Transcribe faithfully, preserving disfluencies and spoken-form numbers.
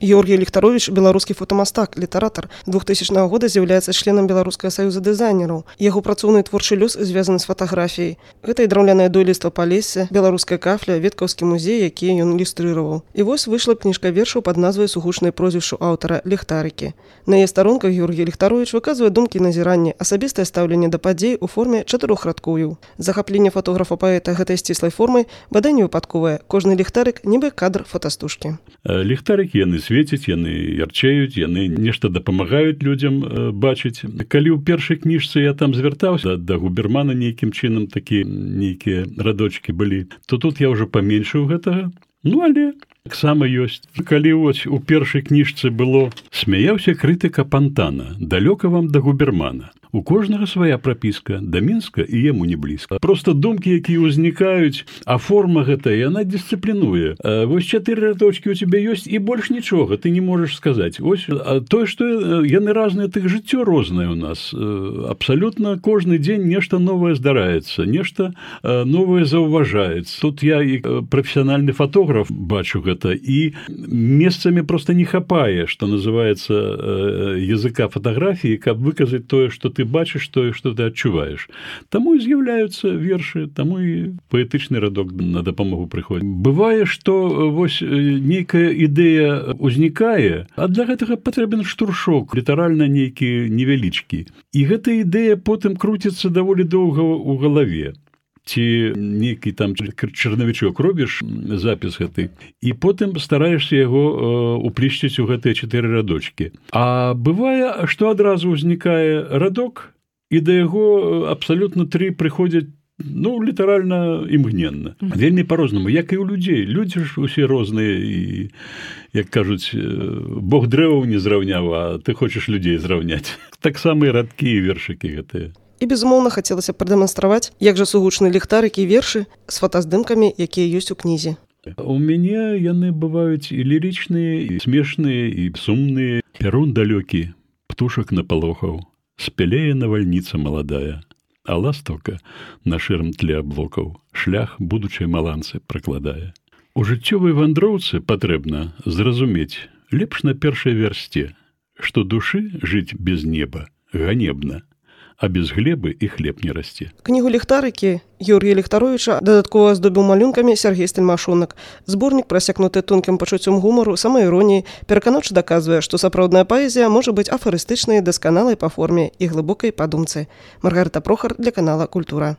Георгій Ліхтаровіч – беларускі фотамастак, літаратар. двухтысячнага года з'яўляецца членам Беларускага саюза дызайнераў. Яго працоўны творчы лёс звязаны з фатаграфіяй. Гэта і драўлянае дойлідства Палесся, беларуская кафля, веткаўскі музей, якія ён ілюстрыраваў. І вось выйшла кніжка вершаў пад назвай сугучнай прозвішчу аўтара «Ліхтарыкі». На яе старонках Георгій Ліхтаровіч выказвае думкі і назіранні, асабістае стаўленне да падзей у форме чатырох радкоў. Захапленне фотографа-паэта гэтай сціслай формай бадай не выпадковае. Кожны ліхтарык нібы кадр фотастужкі. Ліхтарыкі яны свеціць, яны ярчэюць, яны нешта дапамагаюць людзям бачыць. Калі ў першай кніжцы я там звяртаўся да губермана нейкім чынам, такі нейкія радочкі былі, то тут я ўжо паменшыў гэтага. Ну, але таксама ёсць. Калі вось у першай кніжцы было «Смяяўся крытыка Пантана, далёка вам да губермана». У кожнага свая прапіска, да Мінска і яму не блізка. Проста думкі, якія ўзнікаюць, а форма гэта, яна дысцыплінуе. Вось чатыры радочкі ў цябе ёсць, і больш нічога ты не можаш сказаць. Вось тое, што яны разныя, тых жыццё рознае ў нас. Абсалютна кожны дзень нешта новае здараецца, нешта новае заўважаецца. Тут я і прафесіянальны фотограф бачу гэта, і месцамі проста не хапае, што называецца языка фатаграфіі, каб выказаць тое, што ты бачыш тое, што ты адчуваеш. Таму і з'яўляюцца вершы, таму і паэтычны радок на дапамогу прыходзіць. Бывае, што вось нейкая ідэя ўзнікае, а для гэтага патрэбен штуршок, літаральна нейкі невялічкі. І гэта ідэя потым круціцца даволі доўга ў галаве. Ці нейкі там чарнавічок робіш, запіс гэты, і потым стараешся яго уплішчыць у гэтыя чатыры радочкі. А бывае, што адразу ўзнікае радок, і да яго абсалютна тры прыходзяць, ну, літаральна імгненна. Вельмі па-рознаму, як і ў людзей. Людзі ж усе розныя, і, як кажуць, Бог дрэваў не зраўняў, а ты хочаш людзей зраўняць. Таксама і радкі, і вершыкі гэтыя. І, безумоўна, хацелася прадэманстраваць, як жа сугучны ліхтарыкі і вершы з фотаздымкамі, якія ёсць у кнізе. У мяне яны бываюць і лірычныя, і смешныя, і сумныя. Перун далёкі, птушак напалохаў, спялее навальніца маладая, а ластаўка на шэрым тле аблокаў шлях будучай маланцы пракладае. У жыццёвай вандроўцы патрэбна зразумець лепш на першай вярсце, што душы жыць без неба ганебна, а без глебы і хлеб не расце. Кнігу «Ліхтарыкі» Георгія Ліхтаровіча дадаткова аздобіў малюнкамі Сергей Стельмашонак. Зборнік, прасякнуты тонкім пачуццём гумару, самаіроніі, пераканаўча даказвае, што сапраўдная паэзія можа быць афарыстычнай, дасканалай па форме і глыбокай па думцы. Маргарыта Прохар для канала «Культура».